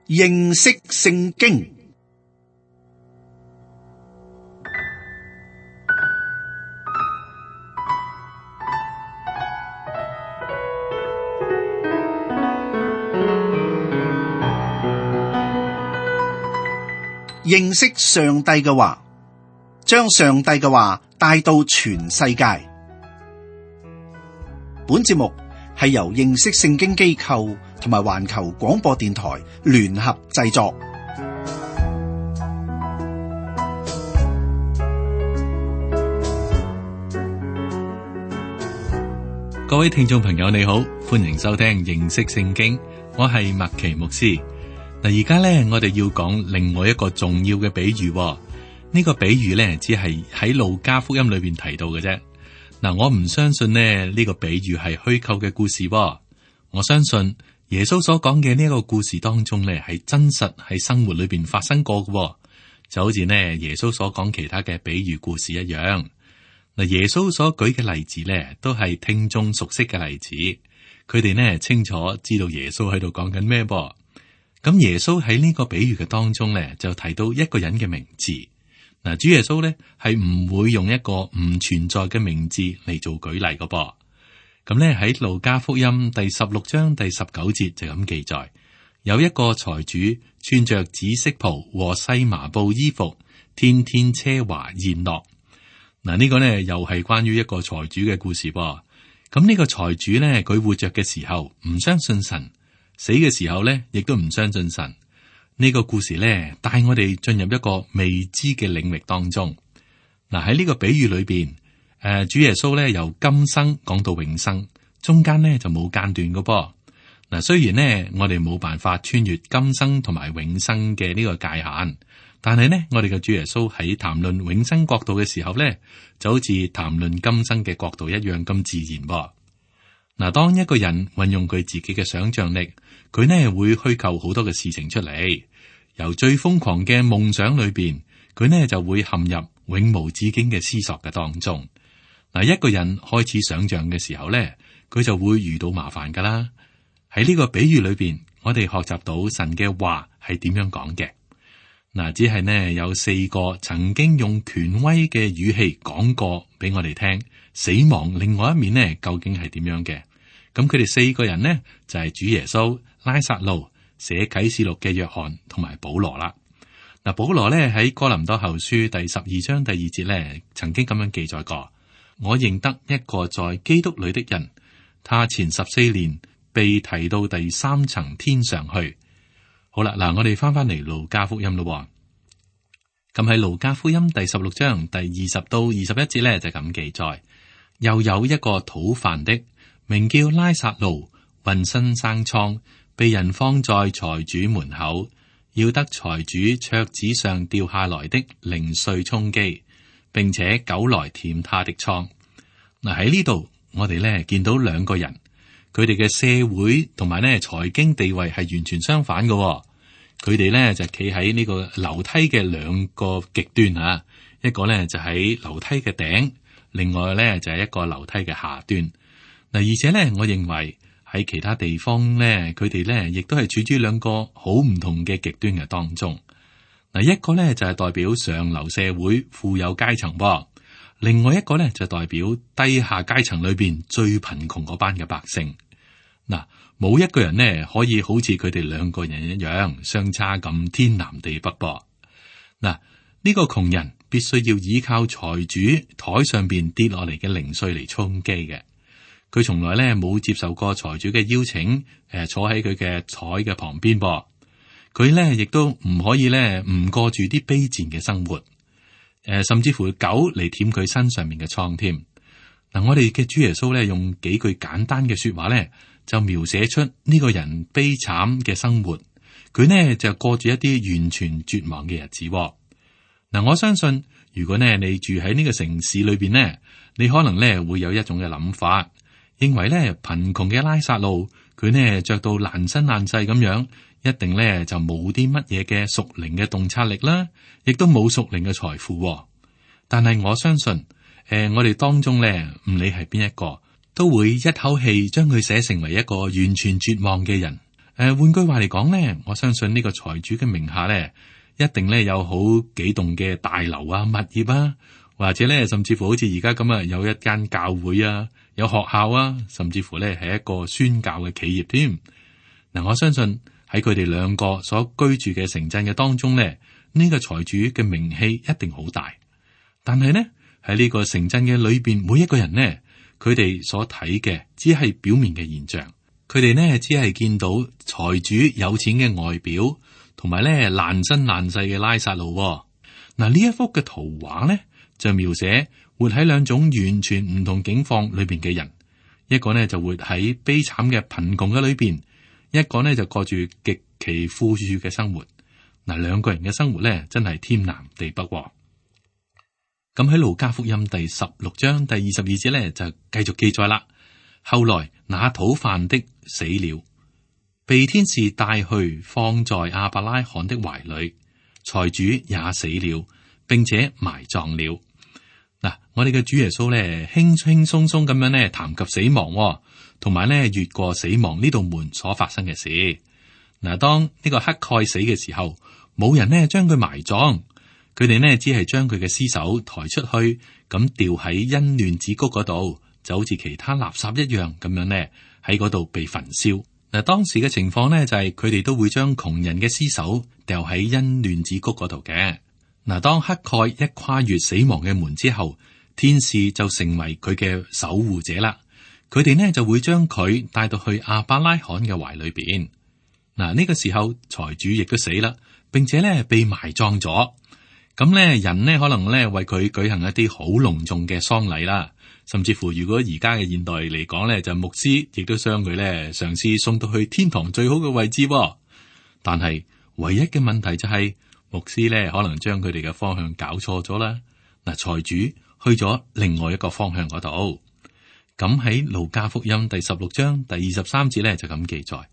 認識聖經。認識上帝嘅話，將上帝嘅話帶到全世界。本節目係由認識聖經機構同埋環球廣播電台聯合製作。各位聽眾朋友你好，歡迎收聽認識聖經，我係麥奇牧師。嗱，而家咧我哋要講另外一個重要嘅比喻。呢個比喻咧只係喺路加福音裏邊提到嘅啫。嗱，我唔相信呢個比喻係虛構嘅故事。我相信耶穌所講嘅呢一個故事當中咧係真實喺生活裏邊發生過嘅，就好似耶穌所講其他嘅比喻故事一樣。嗱，耶穌所舉嘅例子咧都係聽眾熟悉嘅例子，佢哋清楚知道耶穌喺度講緊咩噃。咁耶穌喺呢個比喻嘅當中咧，就提到一個人嘅名字。嗱，主耶穌咧係唔會用一個唔存在嘅名字嚟做舉例嘅噃。咁咧喺路加福音第16章第19節就咁記載，有一個財主穿着紫色袍和細麻布衣服，天天奢華宴樂。嗱，呢個呢又係關於一個財主嘅故事噃。咁呢個財主咧，佢活着嘅時候唔相信神。死嘅時候咧，亦都唔相信神。呢個故事咧，帶我哋進入一個未知嘅領域當中。嗱，喺呢個比喻裏邊，主耶穌咧由今生講到永生，中間咧就冇間斷嘅噃。嗱，雖然呢，我哋冇辦法穿越今生同埋永生嘅呢個界限，但係呢，我哋嘅主耶穌喺談論永生國度嘅時候咧，就好似談論今生嘅國度一樣咁自然噃。嗱，當一個人運用佢自己嘅想象力，佢呢會虛構好多嘅事情出嚟。由最瘋狂嘅夢想裏邊，佢呢就會陷入永無止境嘅思索嘅當中。嗱，一個人開始想象嘅時候呢，佢就會遇到麻煩噶啦。喺呢個比喻裏邊，我哋學習到神嘅話係點樣講嘅。嗱，只係呢有4個曾經用權威嘅語氣講過俾我哋聽。死亡另外一面呢，究竟係點樣嘅？咁佢哋4個人呢，就係主耶穌、拉撒路、寫啟示錄嘅約翰同埋保羅啦。嗱，保羅呢喺哥林多後書第12章第2節呢，曾經咁樣記載過：我認得一個在基督裏的人，他前14年被提到第3層天上去。好啦，嗱，我哋翻嚟路加福音咯。咁喺路加福音第16章第20到21節呢，就咁記載。又有一個討飯的，名叫拉撒路，渾身生瘡，被人放在財主門口，要得財主桌子上掉下來的零碎充飢，並且狗來舔他的瘡。嗱，喺呢度，我哋咧見到2個人，佢哋嘅社會同埋咧財經地位係完全相反嘅。佢哋咧就企喺呢個樓梯嘅2個極端啊，一個咧就喺樓梯嘅頂。另外咧就係一個樓梯嘅下端。嗱，而且咧，我認為喺其他地方咧，佢哋咧亦都係處於2個好唔同嘅極端嘅當中。嗱，一個咧就係代表上流社會富有階層噃，另外一個咧就代表低下階層裏邊最貧窮嗰班嘅百姓。嗱，冇一個人呢可以好似佢哋2個人一樣相差咁天南地北噃。嗱，呢個窮人必須要依靠財主台上邊跌落嚟嘅零碎嚟充飢嘅。佢從來咧冇接受過財主嘅邀請，坐喺佢嘅台嘅旁邊噃。佢咧亦都唔可以咧唔過住啲卑賤嘅生活，甚至乎狗嚟舔佢身上面嘅瘡添。嗱，我哋嘅主耶穌咧用幾句簡單嘅說話咧，就描寫出呢個人悲慘嘅生活。佢呢就過住一啲完全絕望嘅日子。嗱，我相信如果呢你住喺呢個城市裏邊呢，你可能呢會有一種嘅諗法，認為呢貧窮嘅拉撒路佢呢着到爛身爛世咁樣，一定呢就冇啲乜嘢嘅屬靈嘅洞察力啦，亦都冇屬靈嘅財富。但係我相信，我哋當中呢唔理係邊一個，都會一口氣將佢寫成為一個完全絕望嘅人。換句話嚟講咧，我相信呢個財主嘅名下咧，一定咧有好幾棟嘅大樓啊、物業啊，或者咧甚至乎好似而家咁啊，有一間教會啊，有學校啊，甚至乎咧係一個宣教嘅企業添。嗱，我相信喺佢哋兩個所居住嘅城鎮嘅當中咧，呢個財主嘅名氣一定好大。但係呢，喺呢個城鎮嘅裏邊，每一個人呢，佢哋所睇嘅只係表面嘅現象。佢哋呢只係見到財主有錢嘅外表，同埋咧爛身爛世嘅拉撒路。嗱，呢一幅嘅圖畫呢，就描寫活喺兩種完全唔同境況裏邊嘅人。一個呢就活喺悲慘嘅貧窮嘅裏邊，一個呢就過住極其富裕嘅生活。嗱，兩個人嘅生活呢，真係天南地北。咁喺路加福音第16章第22節呢，就繼續記載啦。後來那討飯的死了，被天使帶去放在亞伯拉罕的懷裏，財主也死了，並且埋葬了。嗱，我哋嘅主耶穌咧，輕輕鬆鬆咁樣咧談及死亡，同埋咧越過死亡呢道門所發生嘅事。嗱，當呢個乞丐死嘅時候，冇人呢將佢埋葬，佢哋呢只係將佢嘅屍首抬出去，咁吊喺欣嫩子谷嗰度。就好似其他垃圾一樣咁樣呢，喺嗰度被焚燒。嗱，當時嘅情況呢，就係佢哋都會將窮人嘅屍首掉喺欣嫩子谷嗰度嘅。嗱，當乞丐一跨越死亡嘅門之後，天使就成為佢嘅守護者啦。佢哋呢就會將佢帶到去亞伯拉罕嘅懷裏邊。嗱，呢個時候財主亦都死啦，並且呢被埋葬咗。咁呢人呢可能呢為佢舉行一啲好隆重嘅喪禮啦。甚至乎，如果而家嘅現代嚟講咧，就牧師亦都將佢咧嘗試送到去天堂最好嘅位置。但係唯一嘅問題就係，牧師咧可能將佢哋嘅方向搞錯咗啦。嗱，財主去咗另外一個方向嗰度。咁喺路加福音第16章第23節咧就咁記載，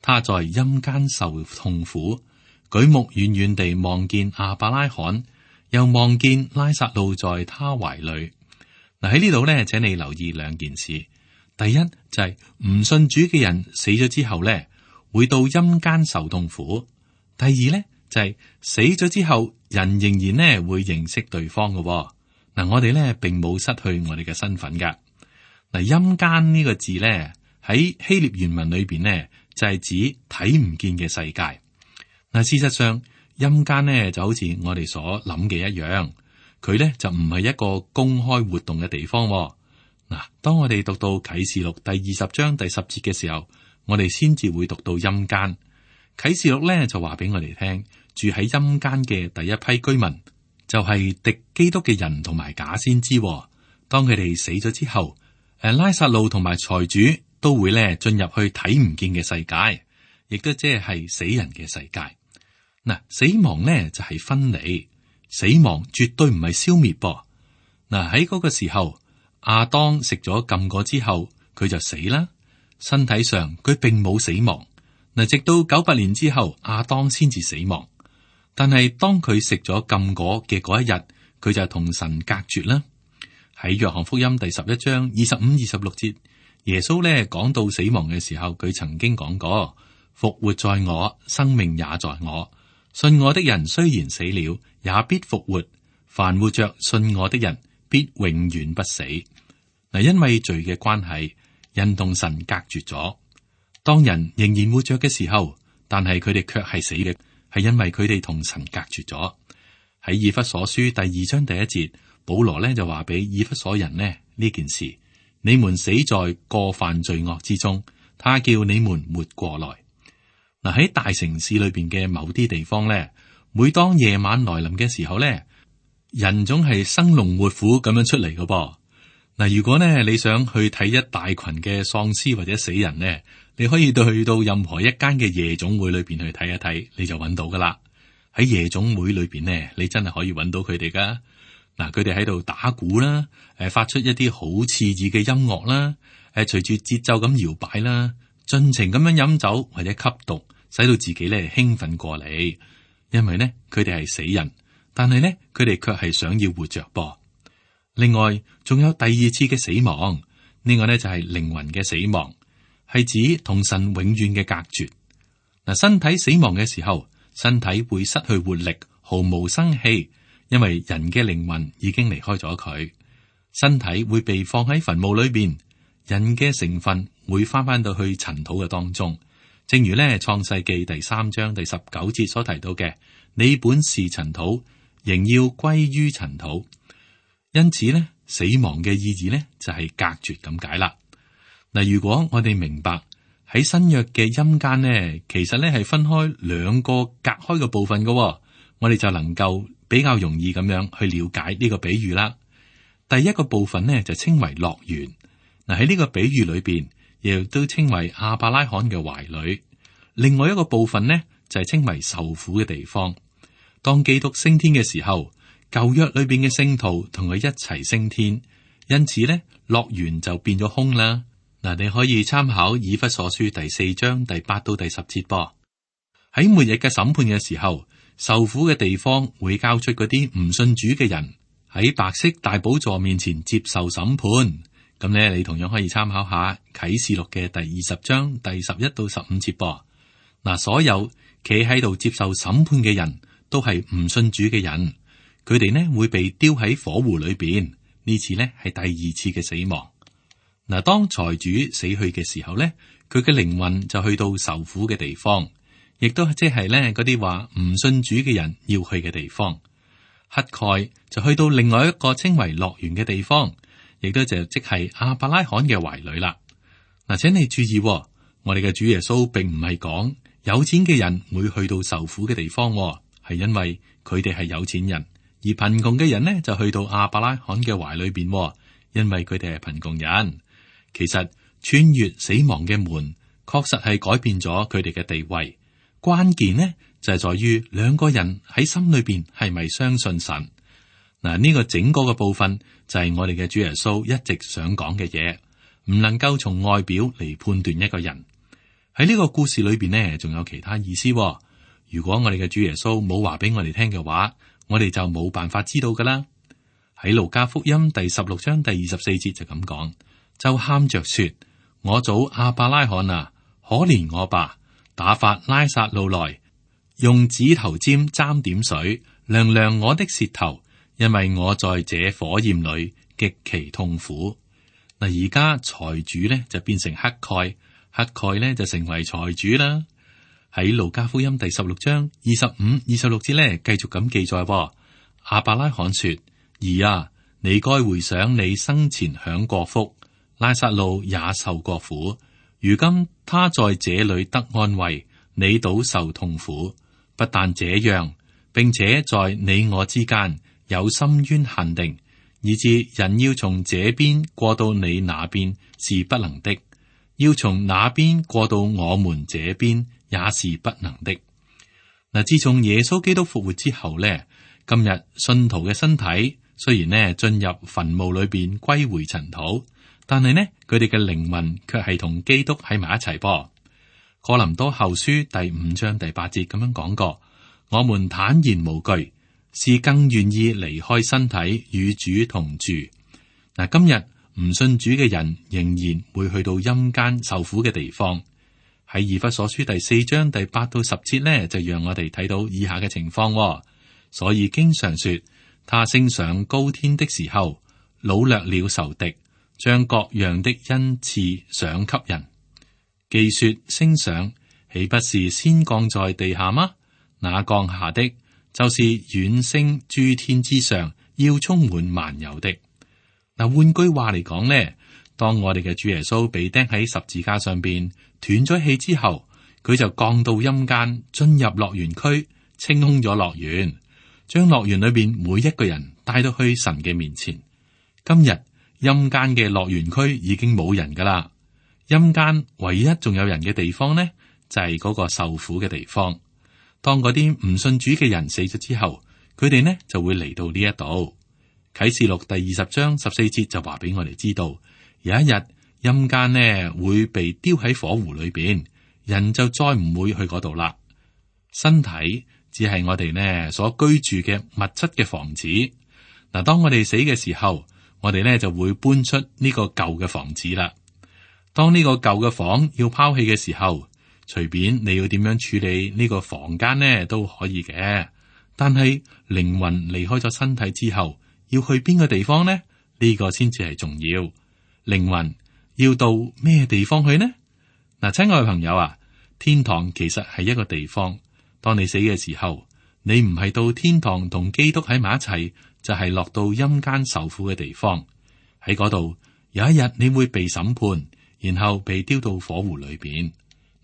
他在陰間受痛苦，舉目遠遠地望見亞伯拉罕，又望見拉撒路在他懷裏。嗱，喺呢度咧，請你留意兩件事。第一就係唔信主嘅人死咗之後咧，會到陰間受痛苦。第二咧就係死咗之後，人仍然咧會認識對方嘅。嗱，我哋咧並冇失去我哋嘅身份噶。嗱，陰間呢個字咧喺希臘原文裏邊咧就係指睇唔見嘅世界。嗱，事實上陰間咧就好似我哋所諗嘅一樣。佢咧就唔係一個公開活動嘅地方。嗱，當我哋讀到啟示錄第20章第10節嘅時候，我哋先至會讀到陰間。啟示錄咧就話俾我哋聽，住喺陰間嘅第一批居民就係敵基督嘅人同埋假先知。當佢哋死咗之後，拉撒路同埋財主都會咧進入去睇唔見嘅世界，亦都即係死人嘅世界。嗱，死亡咧就係分離。死亡絕對唔係消滅噃。嗱，喺嗰個時候，亞當食咗禁果之後，佢就死啦。身體上佢並冇死亡。嗱，直到900年之後，亞當先至死亡。但係當佢食咗禁果嘅嗰一日，佢就同神隔絕啦。喺約翰福音第11章25、26節，耶穌咧講到死亡嘅時候，佢曾經講過：復活在我，生命也在我。信我的人雖然死了，也必復活。凡活着信我的人，必永遠不死。嗱，因為罪嘅關係，人同神隔絕咗。當人仍然活着嘅時候，但係佢哋卻係死嘅，係因為佢哋同神隔絕咗。喺以弗所書第2章第1節，保羅咧就話俾以弗所人呢件事：你們死在過犯罪惡之中，他叫你們活過來。嗱，喺大城市裏邊嘅某啲地方咧，每當夜晚來臨嘅時候咧，人總係生龍活虎咁樣出嚟嘅噃。嗱，如果咧你想去睇一大群嘅喪屍或者死人咧，你可以去到任何一間嘅夜總會裏邊去睇一睇，你就揾到噶啦。喺夜總會裏邊咧，你真係可以揾到佢哋噶。嗱，佢哋喺度打鼓啦，發出一啲好刺耳嘅音樂啦，隨住節奏咁搖擺啦，盡情咁樣飲酒或者吸毒，使到自己咧興奮過嚟。因為咧佢哋係死人，但係咧佢哋卻係想要活着噃。另外仲有第二次嘅死亡，呢個咧就係靈魂嘅死亡，係指同神永遠嘅隔絕。嗱，身體死亡嘅時候，身體會失去活力，毫無生氣，因為人嘅靈魂已經離開咗佢。身體會被放喺墳墓裏邊，人嘅成分會翻到去塵土嘅當中。正如呢創世記第3章第19節所提到嘅，你本是塵土，仍要歸於塵土。因此呢，死亡嘅意義呢就係隔絕咁解啦。嗱，如果我哋明白喺新約嘅陰間呢，其實呢係分開兩個隔開嘅部分嘅，我哋就能夠比較容易咁樣去了解呢個比喻啦。第一個部分呢就稱為樂園。嗱，喺呢個比喻裏邊，亦都稱為亞伯拉罕嘅懷裏。另外一個部分呢就係稱為受苦嘅地方。當基督升天嘅時候，舊約裏邊嘅聖徒同佢一齊升天，因此呢樂園就變咗空啦。嗱，你可以參考以弗所書第4章第8到第10節噃。喺末日嘅審判嘅時候，受苦嘅地方會交出嗰啲唔信主嘅人，喺白色大寶座面前接受審判。咁呢，你同樣可以參考下啟示錄嘅第20章第11到15節噃。嗱，所有企喺度接受審判嘅人都係唔信主嘅人，佢哋呢會被丟喺火湖裏邊。呢次呢係第二次嘅死亡。嗱，當財主死去嘅時候呢，佢嘅靈魂就去到受苦嘅地方，亦都即係呢嗰啲話唔信主嘅人要去嘅地方。乞丐就去到另外一個稱為樂園嘅地方，亦都就即係亞伯拉罕嘅懷裏啦。嗱，請你注意，我哋嘅主耶穌並唔係講有錢嘅人會去到受苦嘅地方，係因為佢哋係有錢人，而貧窮嘅人呢就去到亞伯拉罕嘅懷裏邊，因為佢哋係貧窮人。其實穿越死亡嘅門，確實係改變咗佢哋嘅地位。關鍵呢就係在於兩個人喺心裏邊係咪相信神。嗱，呢個整個嘅部分就係我哋嘅主耶穌一直想講嘅嘢，唔能夠從外表嚟判斷一個人。喺呢個故事裏邊呢，仲有其他意思。如果我哋嘅主耶穌冇話俾我哋聽嘅話，我哋就冇辦法知道噶啦。喺路加福音第16章第24節就咁講。就喊着說：我祖亞伯拉罕啊，可憐我吧！打發拉撒路來，用指頭尖沾點水，涼涼我的舌頭，因為我在這火焰裏極其痛苦。嗱，而家財主呢就變成乞丐，乞丐呢就成為財主啦。喺路加福音第16章25、26節呢，繼續咁記載。亞伯拉罕說：兒啊，你該回想你生前享過福。拉撒路也受過苦，如今他在這裏得安慰，你倒受痛苦。不但這樣，並且在你我之間有深淵限定，以致人要從這邊過到你那邊是不能的，要從那邊過到我們這邊也是不能的。嗱，自從耶穌基督復活之後呢，今日信徒嘅身體雖然呢進入墳墓裏邊歸回塵土，但係呢，佢哋嘅靈魂卻係同基督喺埋一齊噃。哥林多後書第5章第8節咁樣講過：我們坦然無懼，是更願意離開身體與主同住。嗱，今日唔信主嘅人仍然會去到陰間受苦嘅地方。喺以弗所書第4章第8到10節呢，就讓我哋睇到以下嘅情況。所以經常說，他升上高天的時候，擄掠了仇敵，將各樣的恩賜賞給人。既說升上，豈不是先降在地下嗎？那降下的，就是遠升諸天之上，要充滿萬有的。嗱，換句話嚟講呢，當我哋嘅主耶穌被釘喺十字架上邊斷咗氣之後，佢就降到陰間，進入樂園區，清空咗樂園，將樂園裏邊每一個人帶到去神嘅面前。今日陰間嘅樂園區已經冇人噶啦，陰間唯一仲有人嘅地方呢，就係嗰個受苦嘅地方。當嗰啲唔信主嘅人死咗之後，佢哋呢就會嚟到呢一度。啟示錄第20章14節就話俾我哋知道，有一日陰間呢會被丟喺火湖裏邊，人就再唔會去嗰度啦。身體只係我哋呢所居住嘅物質嘅房子。嗱，當我哋死嘅時候，我哋呢就會搬出呢個舊嘅房子啦。當呢個舊嘅房要拋棄嘅時候，隨便你要點樣處理呢個房間呢都可以嘅。但係靈魂離開咗身體之後，要去邊個地方呢？呢個先至係重要。靈魂要到咩地方去呢？嗱，親愛嘅朋友啊，天堂其實係一個地方。當你死嘅時候，你唔係到天堂同基督喺埋一齊，就係落到陰間受苦嘅地方。喺嗰度有一日你會被審判，然後被丟到火湖裏邊。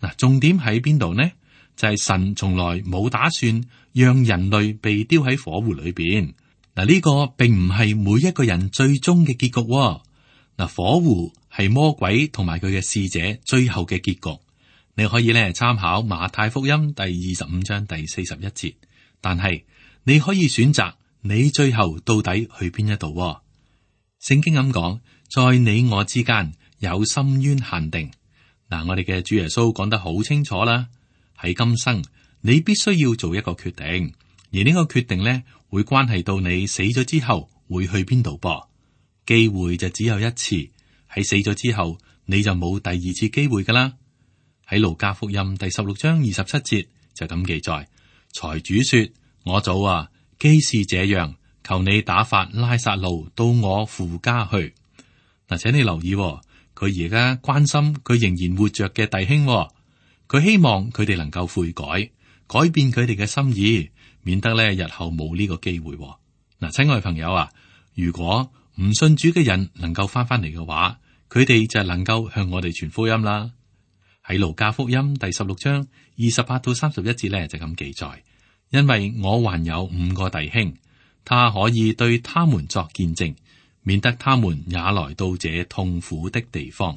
嗱，重點喺邊度呢？就係神從來冇打算讓人類被丟喺火湖裏邊。嗱，呢個並唔係每一個人最終嘅結局喎。嗱，火湖係魔鬼同埋佢嘅使者最後嘅結局。你可以咧參考馬太福音第25章第41節，但係你可以選擇你最後到底去邊一度喎。聖經咁講，在你我之間有深淵限定。嗱，我哋嘅主耶穌講得好清楚啦。喺今生，你必須要做一個決定，而呢個決定咧會關係到你死咗之後會去邊度噃。機會就只有一次，喺死咗之後你就冇第二次機會噶啦。喺路加福音第16章27節就咁記載，財主說：我祖啊，既是這樣，求你打發拉撒路到我父家去。嗱，請你留意喎，佢而家關心佢仍然活着嘅弟兄喎，佢希望佢哋能夠悔改，改變佢哋嘅心意，免得咧日後冇呢個機會喎。嗱，親愛朋友啊，如果唔信主嘅人能夠翻嚟嘅話，佢哋就能夠向我哋傳福音啦。喺路加福音第16章28到31節咧就咁記載，因為我還有5個弟兄，他可以對他們作見證，免得他們也來到這痛苦的地方。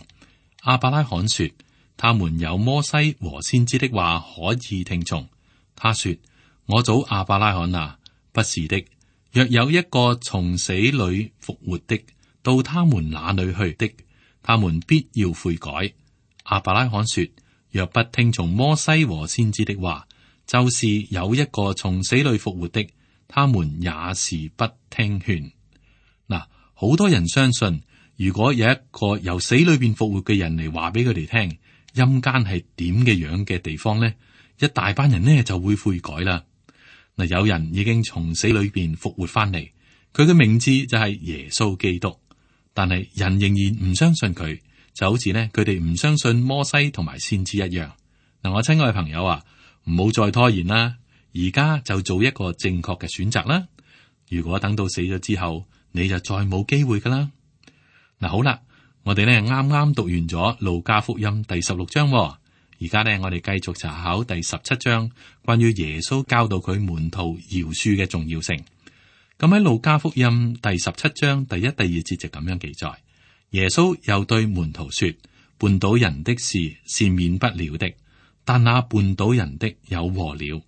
亞伯拉罕說，他們有摩西和先知的話可以聽從。他說，我祖亞伯拉罕啊，不是的，若有一個從死裏復活的到他們那裏去的，他們必要悔改。亞伯拉罕說，若不聽從摩西和先知的話，就是有一個從死裏復活的，他們也是不聽勸。嗱，好多人相信，如果有一個由死裏邊復活嘅人嚟話俾佢哋聽陰間係點嘅樣嘅地方呢，一大班人呢就會悔改啦。嗱，有人已經從死裏邊復活翻嚟，佢嘅名字就係耶穌基督，但係人仍然唔相信佢。就好似呢，佢哋唔相信摩西同埋先知一樣。嗱，我親愛嘅朋友啊，唔好再拖延啦，而家就做一個正確嘅選擇啦。如果等到死咗之後，你就再冇機會噶啦。嗱，好啦，我哋呢啱啱讀完咗路加福音第16章，而家呢我哋繼續查考第17章，關於耶穌教導佢門徒饒恕嘅重要性。咁喺路加福音第17章第1、第2節就咁樣記載。耶穌又對門徒說，絆倒人的事是免不了的，但那絆倒人的有禍了，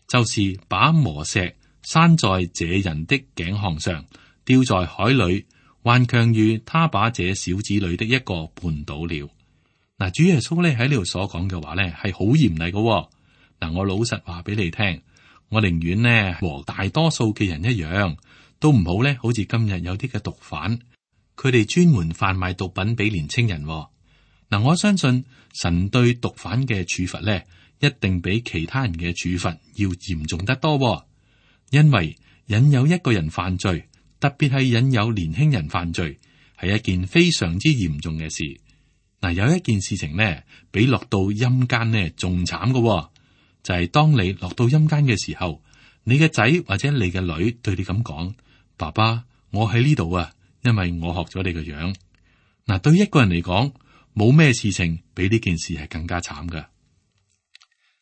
就是把磨石拴在這人的頸項上，丟在海裏，還強如他把這小子裏的一個絆倒了。嗱，主耶穌咧喺呢度所講嘅話咧係好嚴厲嘅。嗱，我老實話俾你聽，我寧願呢和大多數嘅人一樣，都唔好咧好似今日有啲嘅毒販。佢哋專門販賣毒品俾年青人。嗱，我相信神對毒販嘅處罰咧，一定比其他人嘅處罰要嚴重得多。因為引誘一個人犯罪，特別係引誘年輕人犯罪，係一件非常之嚴重嘅事。嗱，有一件事情呢，比落到陰間呢仲慘嘅，就係當你落到陰間嘅時候，你嘅仔或者你嘅女對你咁講：爸爸，我喺呢度啊。因為我學咗你個樣。嗱，對一個人嚟講，冇咩事情比呢件事係更加慘噶。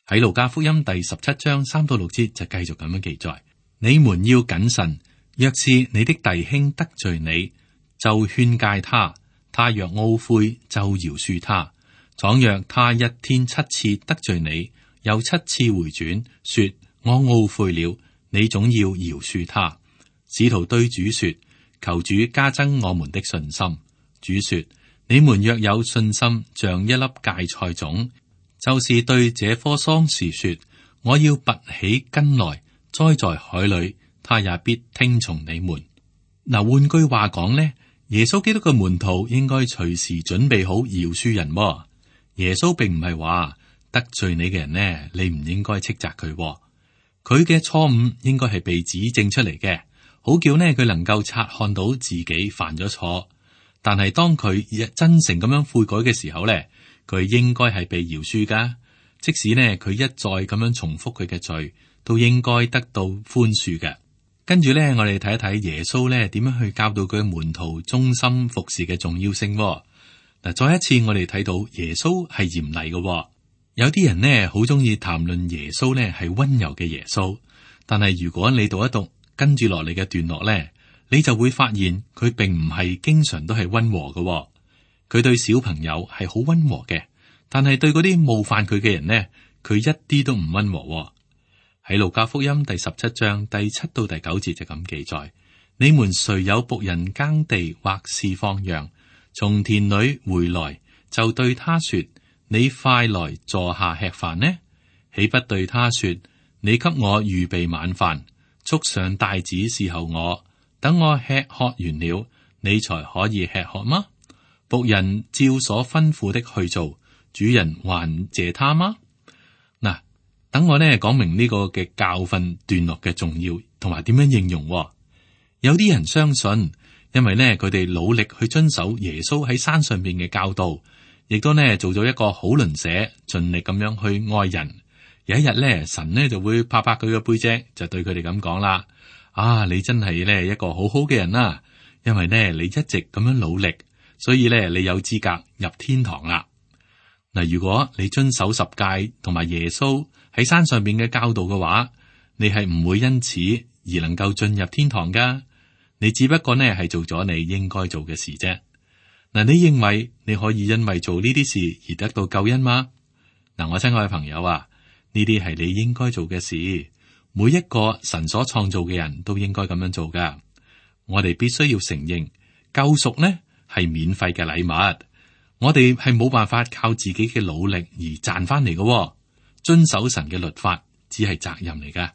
喺路加福音第17章3到6節就繼續咁樣記載：你們要謹慎，若是你的弟兄得罪你，就勸戒他；他若懊悔，就饒恕他。倘若他一天7次得罪你，又7次回轉，說我懊悔了，你總要饒恕他。使徒對主說：求主加增我們的信心。主說：你們若有信心，像一粒芥菜種，就是對這棵桑樹說：我要拔起根來，栽在海裏，他也必聽從你們。嗱，換句話講呢，耶穌基督嘅門徒應該隨時準備好饒恕人。耶穌並唔係話得罪你嘅人呢，你唔應該斥責佢，佢嘅錯誤應該係被指正出嚟嘅，好叫呢佢能夠察看到自己犯咗錯。但係當佢真誠咁樣悔改嘅時候呢，佢應該係被饒恕噶。即使呢佢一再咁樣重複佢嘅罪，都應該得到寬恕嘅。跟住呢，我哋睇一睇耶穌呢點樣去教導佢嘅門徒忠心服侍嘅重要性。嗱，再一次我哋睇到耶穌係嚴厲嘅。有啲人呢好中意談論耶穌呢係溫柔嘅耶穌，但係如果你讀一讀跟住落嚟嘅段落呢，你就會發現佢並唔係經常都係溫和嘅。佢對小朋友係好溫和嘅，但係對嗰啲冒犯佢嘅人呢，佢一啲都唔溫和。喺路加福音第17章第7到第9節就咁記載：你們誰有僕人耕地或是放羊，從田裏回來，就對他說：你快來坐下吃飯呢？豈不對他說：你給我預備晚飯，束上帶子伺候我，等我吃喝完了，你才可以吃喝嗎？僕人照所吩咐的去做，主人還謝他嗎？嗱，等我呢講明呢個嘅教訓段落嘅重要，同埋點樣應用。有啲人相信，因為呢佢哋努力去遵守耶穌喺山上邊嘅教導，亦都呢做咗一個好鄰舍，盡力咁樣去愛人。有一日呢，神呢就會拍拍佢嘅背脊，就對佢哋咁講啦：啊，你真係呢一個好好嘅人啦，因為呢你一直咁樣努力，所以呢你有資格入天堂啦。嗱，如果你遵守十誡同埋耶穌喺山上邊嘅教導嘅話，你係唔會因此而能夠進入天堂噶。你只不過呢係做咗你應該做嘅事啫。嗱，你認為你可以因為做呢啲事而得到救恩嗎？嗱，我親愛嘅朋友啊，呢啲係你應該做嘅事。每一個神所創造嘅人都應該咁樣做噶。我哋必須要承認，救贖呢係免費嘅禮物。我哋係冇辦法靠自己嘅努力而賺翻嚟嘅。遵守神嘅律法只係責任嚟噶。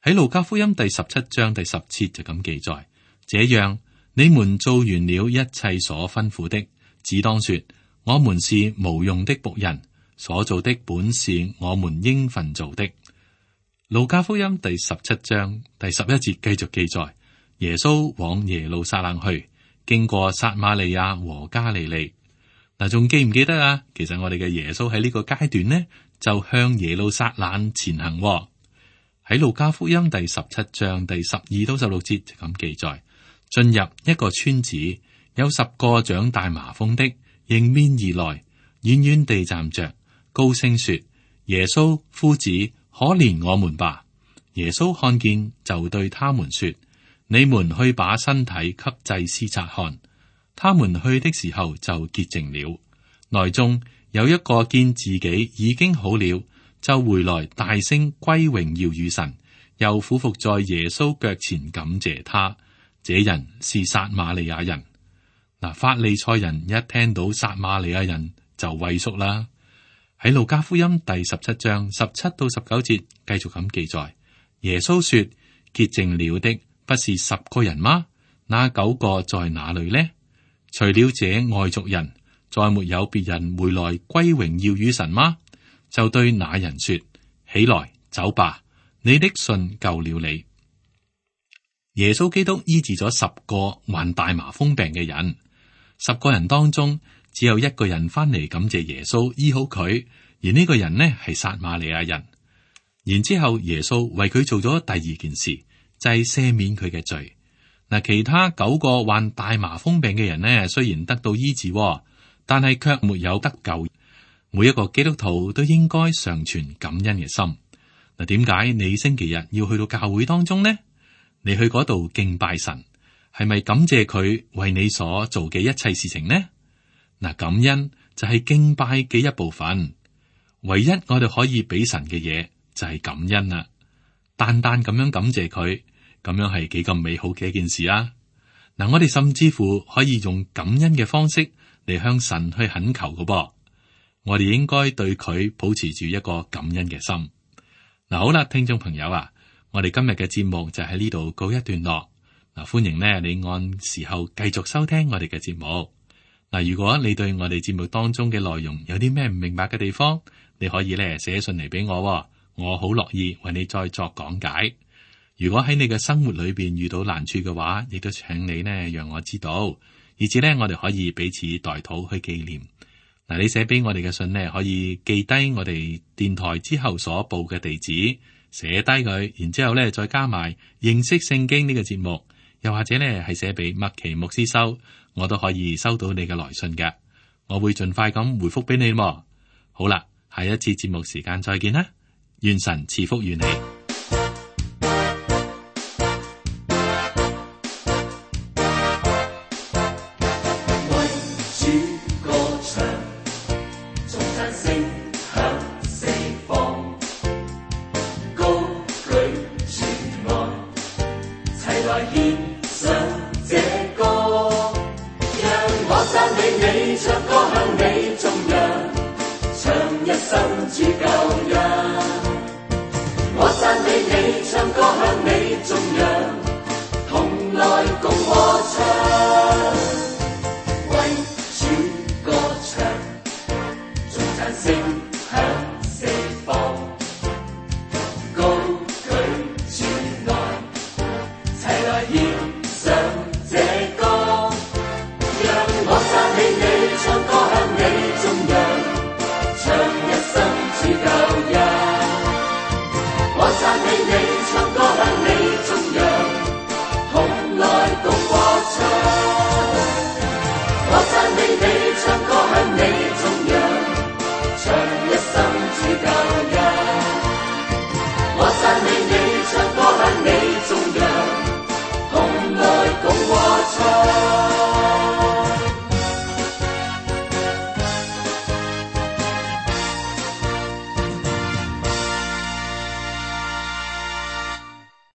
喺路加福音第17章第10節就咁記載：這樣你們做完了一切所吩咐的，只當說：我們是無用的僕人，所做的本是我們應份做的。路加福音第17章第11節繼續記載：耶穌往耶路撒冷去，經過撒瑪利亞和加利利。嗱，仲記唔記得啊？其實我哋嘅耶穌喺呢個階段呢，就向耶路撒冷前行。喺路加福音第17章第12到16節就咁記載：進入一個村子，有10個長大麻風的迎面而來，遠遠地站着，高聲說：耶穌夫子，可憐我們吧！耶穌看見，就對他們說：你們去把身體給祭司察看。他們去的時候就潔淨了。內中有一個見自己已經好了，就回來大聲歸榮耀與神，又俯伏在耶穌腳前感謝他。這人是撒瑪利亞人。嗱，法利賽人一聽到撒瑪利亞人就畏縮啦。喺路加福音第17章17到19節繼續咁記載：耶穌說：潔淨了的不是10個人嗎？那9個在哪裏呢？除了這外族人，再沒有別人回來歸榮耀與神嗎？就對那人說：起來，走吧，你的信救了你。耶穌基督醫治咗10個患大麻風病嘅人，10個人當中只有1個人翻嚟感謝耶穌醫好佢，而呢個人呢係撒瑪利亞人。然之後耶穌為佢做咗第二件事，就係赦免佢嘅罪。嗱，其他9個患大麻風病嘅人呢，雖然得到醫治，但係卻沒有得救。每一個基督徒都應該常存感恩嘅心。嗱，點解你星期日要去到教會當中呢？你去嗰度敬拜神，係咪感謝佢為你所做嘅一切事情呢？嗱，感恩就係敬拜嘅一部分。唯一我哋可以俾神嘅嘢就係感恩啦。單單咁樣感謝佢。咁樣係幾咁美好嘅一件事啊！嗱，我哋甚至乎可以用感恩嘅方式嚟向神去懇求嘅噃。我哋應該對佢保持住一個感恩嘅心。嗱，好啦，聽眾朋友啊，我哋今日嘅節目就喺呢度告一段落。嗱，歡迎呢你按時候繼續收聽我哋嘅節目。嗱，如果你對我哋節目當中嘅內容有啲咩唔明白嘅地方，你可以咧寫信嚟俾我，我好樂意為你再作講解。如果喺你嘅生活裏邊遇到難處嘅話，亦都請你呢讓我知道，以至呢我哋可以彼此代禱去紀念。嗱，你寫俾我哋嘅信呢，可以記低我哋電台之後所報嘅地址，寫低佢，然之後呢再加埋認識聖經呢個節目，又或者呢係寫俾麥奇牧師收，我都可以收到你嘅來信嘅，我會盡快咁回覆俾你。好啦，下一次節目時間再見啦，願神賜福於你。唱歌向你頌揚，唱一生主救。